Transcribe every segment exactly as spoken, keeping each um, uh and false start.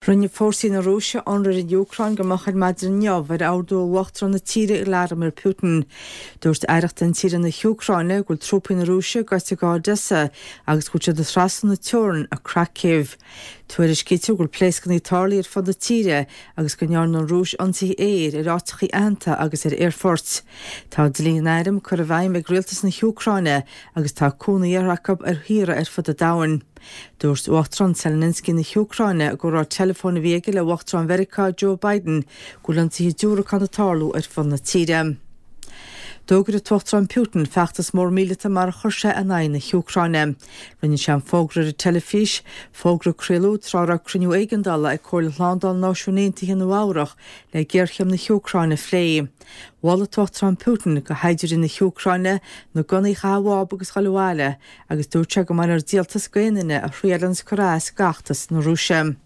Rinne fórsaí na Rúise ionradh ar an Úcráin go moch ar maidin inniu ar ordú Uachtarán na tíre Vladimir Putin. Dúirt aireacht intíre na hÚcráine go bhfuil trúpaí na Rúise gaibhte go Odessa agus go bhfuil siad ag trasnú na teorann i Kharkiv. Tuairiscítear go bhfuil pléascanna tarlaithe ar fud na tíre agus go ndearna an Rúis ionsaithe aeir ar áiteacha aitheanta agus ar aerfoirt. Tá dlí an airm curtha i bhfeidhm ag rialtas na hÚcráine agus tá cúnamh iarrtha acu ar thíortha ar fud an domhain. Dúirt Uachtarán Zelensky na hÚcráine i gcomhrá teileafóin a bhí aige le Uachtarán Mheiriceá Joe Biden go bhfuil ionsaithe diúracán ag tarlú ar fud na tíre. D'fhógair an tUachtarán Putin feachtas mór míleata mar a chuir sé in aghaidh na hÚcráine. Rinne sé an fógra ar an teilifís, fógra a craoladh tráth a raibh cruinniú éigeandála ag Comhairle Shlándála Náisiún Aontaithe i Nua Eabhrac le géarchéim na hÚcráine a phlé. Mhol an tUachtarán Putin do shaighdiúirí na hÚcráine na gunnaí a chaitheamh amach agus dul abhaile agus dúirt sé go mbeidh air díoltas d'aon duine a thriaileann cur as d'fheachtas na Rúise.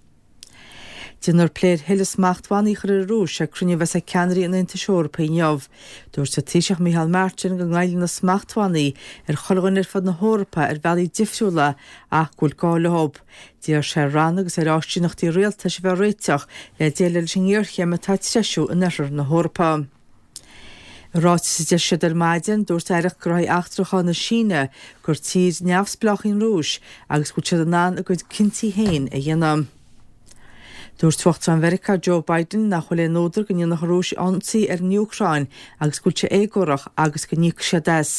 Déanfar plé ar thuilleadh smachtbhannaí a chur ar an Rúis ag cruinniú a bheas ag ceannairí an Aontais Eorpaigh inniu. Dúirt an Taoiseach Micheál Martin go ngoilleann na smachtbhannaí ar chuile dhuine ar fud na hEorpa ar bhealaí difriúla ach go bhfuil gá leo. D'iarr sé ar ranna agus ar áisíneachtaí rialtais a bheith réiteach le déileáil leis an ngéarchéim atá ag treisiú in oirthear na hEorpa. I ráiteas a d'eisigh siad ar maidin, dúirt Aireacht Gnóthaí Eachtracha na Síne gur tír neamhspleách í an Rúis agus go bhfuil siad in ann a gcuid cinntí féin a dhéanamh. Dúirt Uachtarán Mheiriceá Joe Biden nach bhfuil aon údar go ndéanfadh an Rúis ionsaí ar an Úcráin agus go bhfuil sé éagórach agus go n-íocfaidh siad as.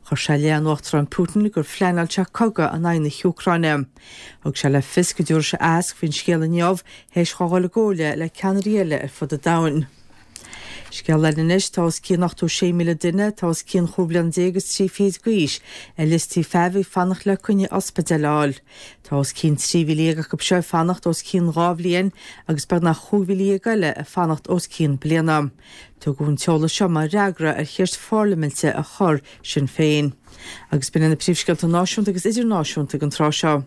Chuir sé i leith an Uachtaráin Putin gur phleanáil sé cogadh in aghaidh na hÚcráine. Thug sé le fios go dtabharfaidh sé aitheasc faoin scéal inniu théis dó dhul i gcomhairle le ceannairí eile ar fud an domhain. Scéal eile anois tá os cionn ochtó sé míle duine tá os cionn chúig bliana déag agus trí fichid d'aois ar liostaí feithimh ag fanacht le coinne ospidéil a fháil. Tá os cionn trí mhíle dhéag acu seo ag fanacht os cionn dhá bhliain agus beagnach chúig mhíle dhéag eile ag fanacht os cionn bliana. Tugadh an t-eolas seo mar fhreagra ar cheist pharlaiminte a chuir Sinn Féin. Agus b'in na príomhscéalta náisiúnta agus idirnáisiúnta ag an tráth seo.